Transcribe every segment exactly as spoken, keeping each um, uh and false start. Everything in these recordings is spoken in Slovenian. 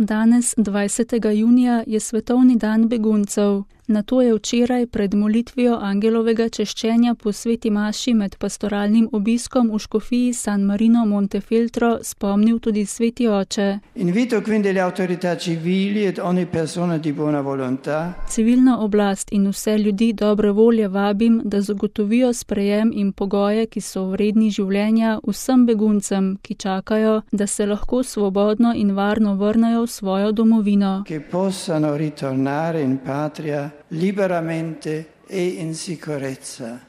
Danes, dvajsetega junija, je svetovni dan beguncev. Na to je včeraj pred molitvijo angelovega češčenja po sveti maši med pastoralnim obiskom v škofiji San Marino Montefeltro spomnil tudi sveti oče. Invito quindi le autorità civili ed ogni persona di buona volontà. Civilno oblast in vse ljudi dobre volje vabim, da zagotovijo sprejem in pogoje, ki so vredni življenja vsem beguncem, ki čakajo, da se lahko svobodno in varno vrnejo v svojo domovino. Che possano ritornare in patria liberamente e in sicurezza.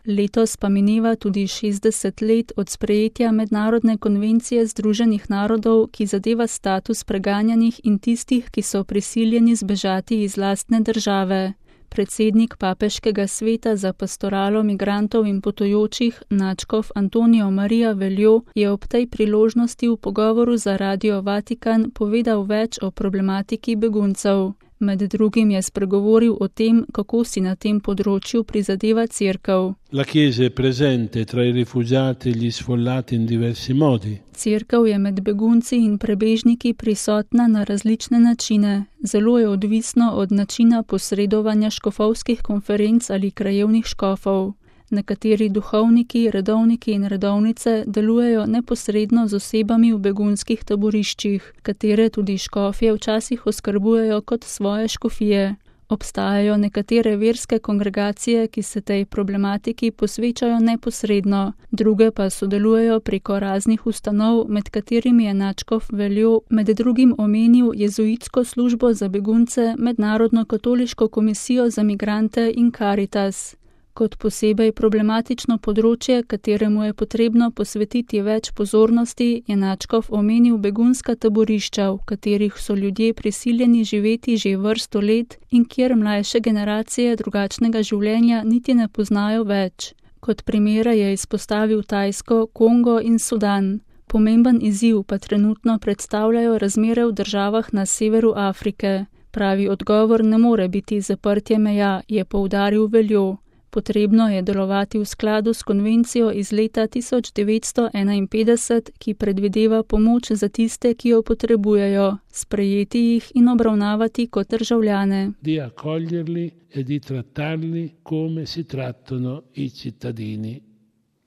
Letos pa mineva tudi šestdeset let od sprejetja Mednarodne konvencije Združenih narodov, ki zadeva status preganjanih in tistih, ki so prisiljeni zbežati iz lastne države. Predsednik papeškega sveta za pastoralo migrantov in potujočih, nadškof Antonijo Marija Veljo, je ob tej priložnosti v pogovoru za Radio Vatikan povedal več o problematiki beguncev. Med drugim je spregovoril o tem, kako si na tem področju prizadeva Cerkev. La Chiesa è presente tra i rifugiati e gli sfollati in diversi modi. Cerkev je med begunci in prebežniki prisotna na različne načine. Zelo je odvisno od načina posredovanja škofovskih konferenc ali krajevnih škofov. Nekateri duhovniki, redovniki in redovnice delujejo neposredno z osebami v begunskih taboriščih, katere tudi škofje včasih oskrbujejo kot svoje škofije. Obstajajo nekatere verske kongregacije, ki se tej problematiki posvečajo neposredno, druge pa sodelujejo preko raznih ustanov, med katerimi je nadškof Veljo med drugim omenil jezuitsko službo za begunce, Mednarodno katoliško komisijo za migrante in Caritas. Kot posebej problematično področje, kateremu je potrebno posvetiti več pozornosti, je nadškof omenil begunska taborišča, v katerih so ljudje prisiljeni živeti že vrsto let in kjer mlajše generacije drugačnega življenja niti ne poznajo več. Kot primere je izpostavil Tajsko, Kongo in Sudan. Pomemben izziv pa trenutno predstavljajo razmere v državah na severu Afrike. Pravi odgovor ne more biti zaprtje meja, je poudaril Veljo. Potrebno je delovati v skladu s konvencijo iz leta tisoč devetsto enainpetdeset, ki predvideva pomoč za tiste, ki jo potrebujejo, sprejeti jih in obravnavati kot državljane. Di accoglierli e di trattarli come si trattano i cittadini